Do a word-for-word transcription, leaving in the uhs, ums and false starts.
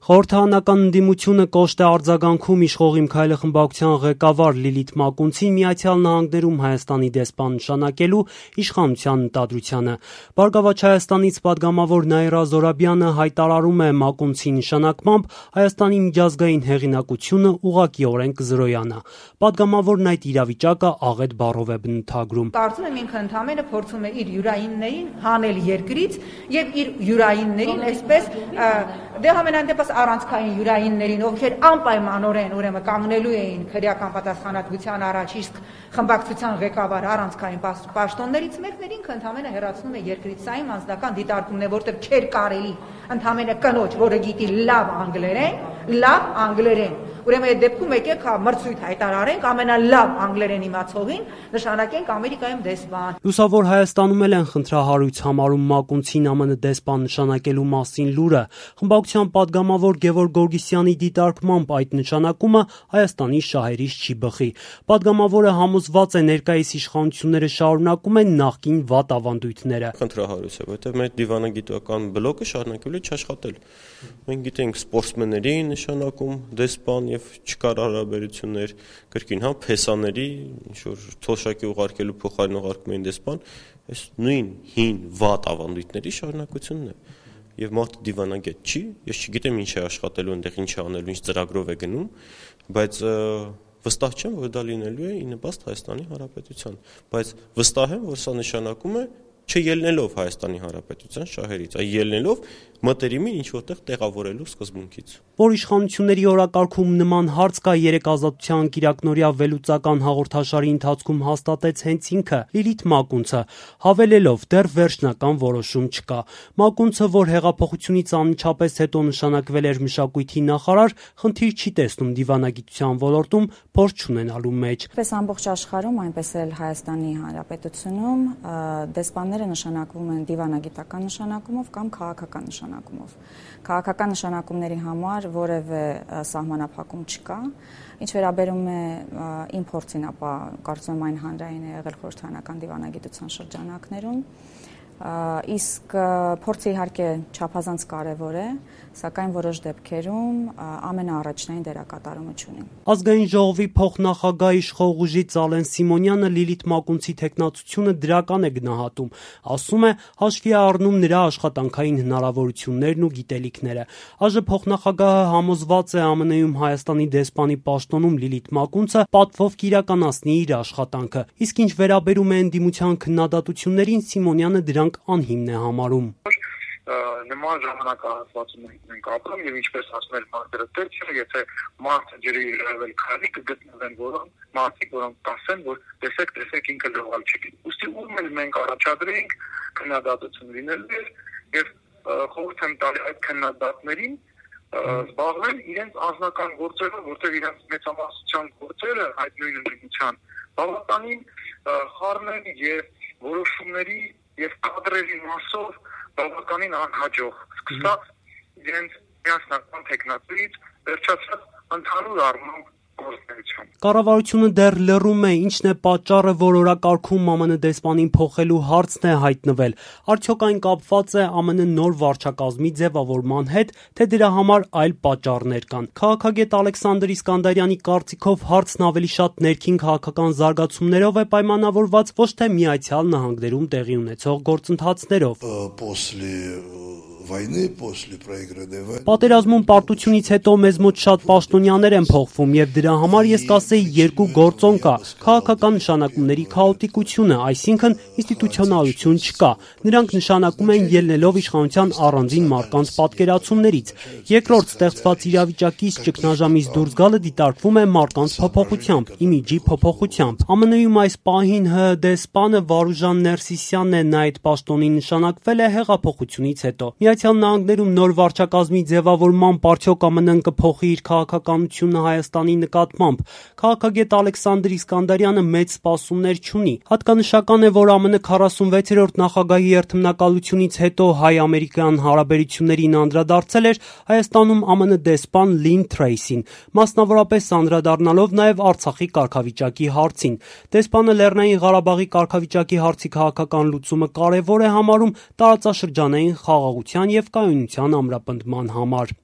Խորհրդարանական ընդդիմությունը կոշտ է արձագանքում իշխող Իմ քայլը խմբակցության ղեկավար Լիլիթ Մակունցին Միացյալ Նահանգներում Հայաստանի դեսպան նշանակելու իշխանության ընտրությանը։ Բարգավաճ Հայաստանից պատգամավոր Նաիրա Զորաբյանը հայտարարում է Մակունցի նշանակմամբ Հայաստանի միջազգային հեղինակությունը ուղղակիորեն կզրոյանա։ Պատգամավորն այդ իրավիճակը աղետ բառով է բնութագրում։ Կարծում եմ ինքը ընդհանրապես փորձում է իր յուրայիններին հանել երկրից եւ իր յուրայիններին այսպես դե համենայն դեպս առանցքային յուրայիններին, ովքեր անպայմանորեն ուրեմն կանգնելու էին քրեական պատասխանատվության առաջ, իսկ խմբակցության ղեկավար առանցքային պաշտոններից մեկն ինքը ընդհանրապես հեռացնում է երկրից։ Սա իմ անձնական դիտարկումն է, որտեղ չէր կարելի ընդհանրապես կնոջ, որը գիտի լավ անգլերեն, լավ անգլերեն, ուրեմն այդ դեպքում եկեք հա մրցույթ հայտարարենք ամենալավ անգլերեն իմացողին, նշանակենք Ամերիկայում դեսպան։ Լուսավոր Հայաստանում էլ են խնդրահարույց համարում Մակունցին ԱՄՆ դեսպան նշանակելու մասին լուրը։ Խմբակցության պատգամավոր Գևորգ Գորգիսյանի դիտարկմամբ այդ նշանակումը Հայաստանի շահերից չի բխի։ Պատգամավորը համոզված է ներկայիս իշխանությունները շարունակում են նախկին վատ ավանդույթները։ Խնդրահարույց է, որտեղ մեր դիվանագիտական բլոկը շարունակելու է չաշխատել։ Մենք գիտենք սպորտսմենների նշանակում դեսպան եւ չկար հարաբերություններ կրկին հա փեսաների ինչ որ թոշակի ուղարկելու փոխարեն ուղարկում էին դեսպան, այս նույն հին վատ ավանդույթների շարունակությունն է։ Եվ մարդը դիվանագետ չի, ես չգիտեմ ինչ է աշխատելու այնտեղ, ինչ է անելու, ինչ ծրագրով է գնում, բայց վստահ չեմ, որ դա լինելու է ի նպաստ Հայաստանի Հանրապետության, բայց վստահ եմ, որ սա նշանակում է չելնելով Հայաստանի Հանրապետության շահերից, այլ ելնելով մտերիմին ինչ որտեղ տեղավորելու սկզբունքից։ Որ իշխանությունների օրակարգում նման հարց կա, երեք Ազատության կիրակնօրյա վերլուծական հաղորդաշարի ընթացքում հաստատեց հենց ինքը Լիլիթ Մակունցը, հավելելով դեռ վերջնական որոշում չկա։ Մակունցը, որ հեղափոխությունից անմիջապես հետո նշանակվել էր մշակույթի նախարար, խնդիր չի տեսնում դիվանագիտության ոլորտում փորձ չունենալու մեջ։ Պես ամբողջ աշխարհում, այնպես էլ Հայաստանի Հանրապետությունում դեսպանները նշանակվում են դիվանագիտական նշանակումով կամ քաղաքական նշանակումով։ Քաղաքական նշանակումների համար որևէ սահմանափակում չկա։ Ինչ վերաբերում է իմ փորձին, ապա կարծում եմ այն հանրային է եղել խորհրդարանական դիվանագիտության շրջանակներում, իսկ փորձը իհարկե չափազանց կարևոր է, սակայն որոշ դեպքերում ամենաառաջնային դերակատարումը չունի։ Ազգային ժողովի փոխնախագահ իշխող ուժի Ծալեն Սիմոնյանը Լիլիթ Մակունցի թեկնածությունը դրական է գնահատում, ասում է հաշվի է առնում նրա աշխատանքային հնարավորություններն ու գիտելիքները։ ԱԺ փոխնախագահը համոզված է ԱՄՆ-ում Հայաստանի դեսպանի պաշտոնում Լիլիթ Մակունցը պատվով կիրականացնի իր աշխատանքը, իսկ ինչ վերաբերում է ընդդիմության քննադատություններին, Սիմոնյանը դրանք անհիմն է համարում։ Նման ժամանակահատվածում ենք ապրում եւ ինչպես ասում են մարդերը դեպքը, եթե մարդը ջրի իրավել քարի կգտնվեն որոնք մարդիկ, որոնք կասեն, որ տեսեք, տեսեք ինքը լողալ չի։ Ուստի ում էլ մենք առաջադրենք քննադատություն լինելու եւ խորհուրդ եմ տալի այդ քննադատներին զբաղվել իրենց անձնական գործերով, որտեղ իրենց մեծամասնության գործերը այդ նույն ընդդիմության բավականին խառնել եւ որոշումների եւ կադրերի մասով բավականին անհաջող, սկսած իրենց միասնական տեխնատորից վերջացած ընդհանուր առմամբ գործունեությամբ։ Կառավարությունը դեռ լռում է, ինչն է պատճառը, որ օրակարգում ԱՄՆ դեսպանին փոխելու հարցն է հայտնվել։ Արդյոք այն կապված է ԱՄՆ նոր վարչակազմի ձևավորման հետ, թե դրա համար այլ պատճառներ կան։ Քաղաքագետ Ալեքսանդր Իսկանդարյանի կարծիքով հարցն ավելի շատ ներքին քաղաքական զարգացումներով է պայմանավորված, ոչ թե Միացյալ Նահանգներում տեղի ունեցող գործընթացներով։ Վայնի после проигранной войны Պատերազմում պարտությունից հետո մեզ մոտ շատ պաշտոնյաներ են փոխվում եւ դրա համար ես կասեի երկու գործոն կա։ Քաղաքական նշանակումների քաոտիկությունը, այսինքն ինստիտուցիոնալություն չկա։ Նրանք նշանակում են ելնելով իշխանության առանձին մարկանց պատկերացումներից։ Երկրորդ, ստեղծված իրավիճակից ճգնաժամից դուրս գալը դիտարկվում է մարկանց փոփոխությամբ, իմիջի փոփոխությամբ։ ԱՄՆ-ում այս պահին ՀՀ դեսպանը Վարուժան Ներսիսյանն է, նա այդ պաշտոնի նշանակվել է հեղափոխությունից հետո։ Միացյալ Նահանգներում նոր վարչակազմի ձևավորման արդյոք ԱՄՆ-ն կփոխի իր քաղաքականությունը Հայաստանի նկատմամբ։ Քաղաքագետ Ալեքսանդր Իսկանդարյանը մեծ սպասումներ չունի։ Հատկանշական է, որ ԱՄՆ քառասունվեցերորդ նախագահի երթմնակալությունից հետո հայ-ամերիկյան հարաբերություններին անդրադարձել էր Հայաստանում ԱՄՆ դեսպան Լին Թրեյսին, մասնավորապես անդրադառնալով նաև Արցախի կարգավիճակի հարցին։ Դեսպանը Լեռնային Ղարաբաղի կարգավիճակի հարցի քաղաքական լուծումը կարևոր է համարում տարածաշրջանային խաղաղության և կայունության ամրապնդման համար։